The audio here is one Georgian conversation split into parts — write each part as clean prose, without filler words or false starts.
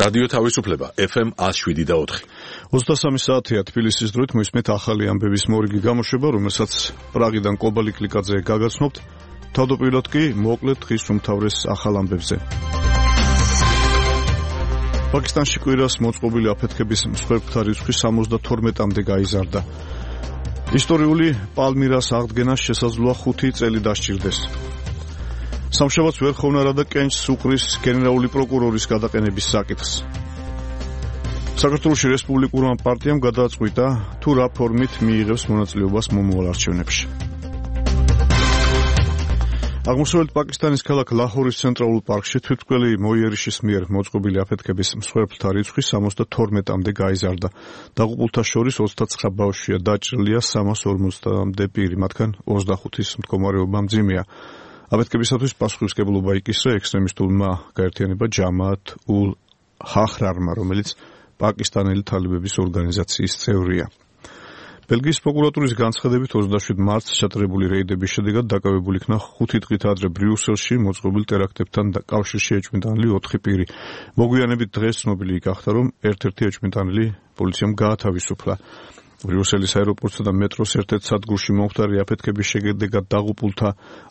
რადიო თავისუფლება FM 107.4. 23 საათია თბილისის დროით მოისმენთ ახალი ამბების მორიგი გამოშვება, რომელსაც პრაღიდან კობალი კლიკაძე გაგაცნობთ. თავდაპირველად კი მოკლედ დღის უმთავრეს ახალ ამბებზე. პაკისტანში კვირას მოწყობილი აფეთქების მსხვერპლთა რიცხვი 72-მდე გაიზარდა. ისტორიული პალმირას აღდგენას შესაძლოა 5 წელი დასჭირდეს. სამშაბათს ვერ ხოვნა და კენჭს უყრის გენერალური პროკურორის გადაყენების საკითხს. საქართველოს რესპუბლიკურმა პარტიამ გადააწყვიტა თუ რა ფორმით მიიღებს მონაწილეობას მომავალ არჩევნებში. აღმოსავლეთ პაკისტანის ქალაქ ლაჰორის ცენტრალურ პარკში თვითმკვლელი მოიერიშის მიერ მოწყობილი აფეთქების მსხვერპლთა რიცხვი 72-მდე გაიზარდა. დაღუპულთა შორის 29 ბავშვია, დაჭრილია 350-მდე პირი, მათგან 25-ის მდგომარეობა მძიმეა. აფეთქებისათვის პასუხისმგებლობა იკისრა ექსტრემისტულმა გაერთიანება ჯამაათ ულ ჰახრარმა, რომელიც პაკისტანელი თალებების ორგანიზაციის წევრია. ბელგიის პროკურატურის განცხადებით 27 მარტს ჩატარებული რეიდების შედეგად დაკავებული იქნა 5 დღით ადრე ბრიუსელში მოწყობილ ტერაქტებთან კავშირში ეჭვმიტანილი 4 პირი. მოგვიანებით დღეს ცნობილი გახდა, რომ ერთ-ერთი ეჭვმიტანილი პოლიციამ გაათავისუფლა. ბრიუსელის აეროპორტსა და მეტროს ერთ-ერთ სადგურში მომხდარი აფეთქების შედეგად დაღუპულთა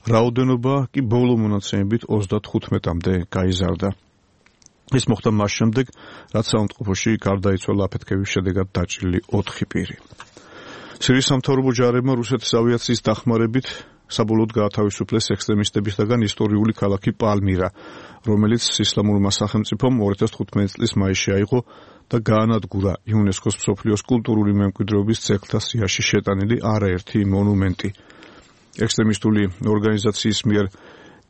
რაოდენობა კი ბოლო მონაცემებით 35-მდე გაიზარდა. ეს მოხდა მას შემდეგ, რაც საავადმყოფოში გარდაიცვალა აფეთქების შედეგად დაჭრილი 4 პირი. სირიის სამთავრობო ჯარებმა რუსეთის ავიაციის დახმარებით საბოლოოდ გაათავისუფლეს ექსტრემისტებისგან ისტორიული ქალაქი პალმირა, რომელიც ისლამურმა სახელმწიფომ 2015 წლის მაისში აიღო და გაანადგურა იუნესკოს მსოფლიოს კულტურული მემკვიდრეობის ძეგლთა სიაში შეტანილი არაერთი მონუმენტი. ექსტრემისტული ორგანიზაციის მიერ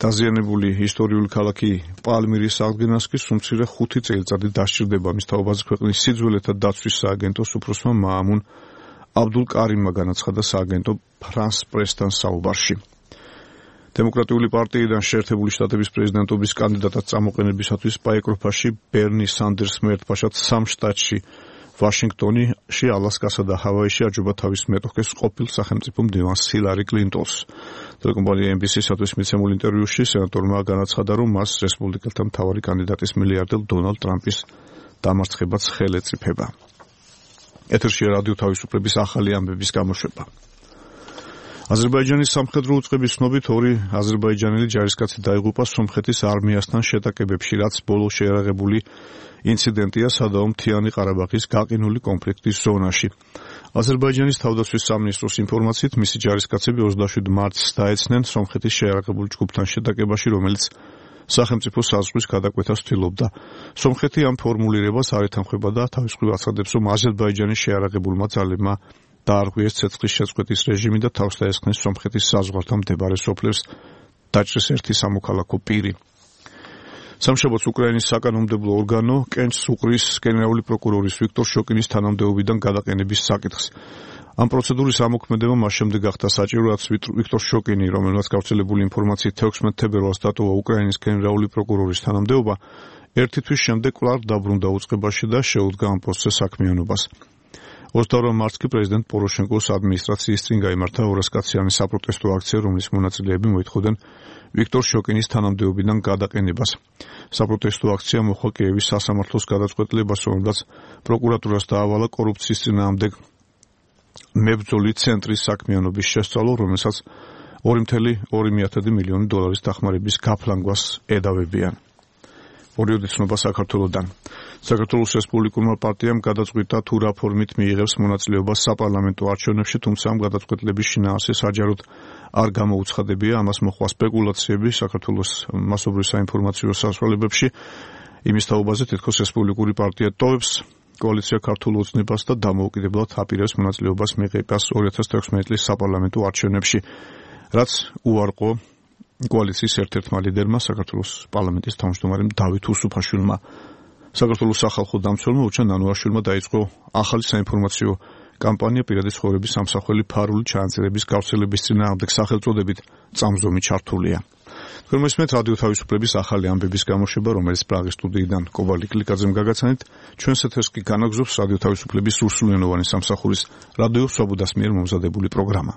დაზიანებული ისტორიული ქალაქი პალმირის აღდგენას კი სულ მცირე 5 წელიწადი დასჭირდება. მის თაობაზე ქვეყნის სიძველეთა დაცვის სააგენტოს უფროსმა მაამუნ აბდულ კარიმმა განაცხადა სააგენტო ფრანს პრესთან საუბარში. დემოკრატიული პარტიიდან შეერთებული შტატების პრეზიდენტობის კანდიდატად წამოყენებისათვის პაეკროფაში ბერნი სანდერსმა ერთბაშად 3 შტატში, ვაშინგტონში, ალასკასა და ჰავაიში აჯობა თავის მეტოქეს ყოფილ სახელმწიფო მდივანს ჰილარი კლინტონს. ტელეკომპანია NBC-სათვის მიცემულ ინტერვიუში სენატორმა განაცხადა, რომ მას რესპუბლიკელთა მთავარი კანდიდატის მილიარდელ დონალდ ტრამპის დამარცხებაც ხელი ეწიფება. ეთერშია რადიო თავისუფლების ახალი ამბების გამოშვება. აზერბაიჯანის სამხედრო უწყების ცნობით 2 აზერბაიჯანელი ჯარისკაცი დაიღუპა სომხეთის არმიასთან შეტაკებებში, რაც ბოლო შეერაღებული ინციდენტია სადავო მთიანი ყარაბაღის გაყინული კონფლიქტის ზონაში. აზერბაიჯანის თავდაცვის სამინისტროს ინფორმაციით, მისი ჯარისკაცები 27 მარტს დაეცნენ სომხეთის შეერაღებული ჯგუფთან შეტაკებაში, რომელიც სახელმწიფო საზღვრის გადაკვეთას ცდილობდა. სომხეთი ამ ფორმულირებას არ ეთანხმება და თავის მხრივ აცხადებს, რომ აზერბაიჯანის შეარაღებულმა ძალებმა დაარღვიეს ცეცხლის შეწყვეტის რეჟიმი და თავს დაესხნენ სომხეთის საზღვართან მდებარე სოფლებს დაჭრეს ერთი სამოქალაქო პირი. სამშაბათს უკრაინის საკანონმდებლო ორგანო კენჭს უყრის გენერალური პროკურორის ვიქტორ შოკინის თანამდებობიდან გადაყენების საკითხს. ამ პროცედურის ამოქმედება მას შემდეგ გახდა საჭირო, რაც ვიქტორ შოკინი, რომელმაც გავრცელებული ინფორმაციით 16 თებერვალს დატოვა უკრაინის გენერალური პროკურორის თანამდებობა, ერთი თვის შემდეგ კვლავ დაბრუნდა უწყებაში და შეუდგა ამ პოსტზე საქმიანობას. 22 მარტს კი პრეზიდენტ პოროშენკოს ადმინისტრაციის წინ გაიმართა 200-კაციანი საპროტესტო აქცია, რომლის მონაწილეები მოითხოვდნენ ვიქტორ შოკინის თანამდებობიდან გადაყენებას. საპროტესტო აქცია მოხდა კიევის სასამართლოს გადაწყვეტილებას, რომელსაც პროკურატურას დაავალა კორუფციის წინააღმდეგ მებრძოლი ცენტრის საქმიანობის შესწავლო, რომელსაც 2.2 მილიონი დოლარის დახმარების გაფლანგვას ედავებიან. ორიოდი ცნობა საქართველოდან. საქართველოს რესპუბლიკურმა პარტიამ გადაწყვიტა თუ რა ფორმით მიიღებს მონაწილეობას საპარლამენტო არჩევნებში, თუმცა ამ გადაწყვეტილების შინაარსი საჯაროდ არ გამოუცხადებია. ამას მოჰყვა სპეკულაციები საქართველოს მასობრივ საინფორმაციო საშუალებებში იმის თაობაზე, თითქოს რესპუბლიკური პარტია ტოვებს კოალიცია ქართულ ოცნებას და დამოუკიდებლად აპირებს მონაწილეობას მიღებას 2016 წლის საპარლამენტო არჩევნებში, რაც უარყო კოალიციის ერთ-ერთმა ლიდერმა, საქართველოს პარლამენტის თავმჯდომარემ დავით უსუფაშვილმა. საქართველოს სახალხო დამცველმა უჩან ნანუაშვილმა დაიწყო ახალი საინფორმაციო კამპანია პირადი ცხოვრების სამსახველი ფარული ჩანაწერების გავრცელების წინააღმდეგ სახელწოდებით წამზომი ჩართულია. თქვენ მოსმენთ რადიო თავისუფლების ახალი ამბების გამოშვება, რომელიც პრაღის სტუდიიდან კობალი კლიკაძემ გაგაცანით. ჩვენს ეთერს კი განაგზობს რადიო თავისუფლების სრულსრულენოვანი სამსახურის რადიო სვაბოდას მიერ მომზადებული პროგრამა.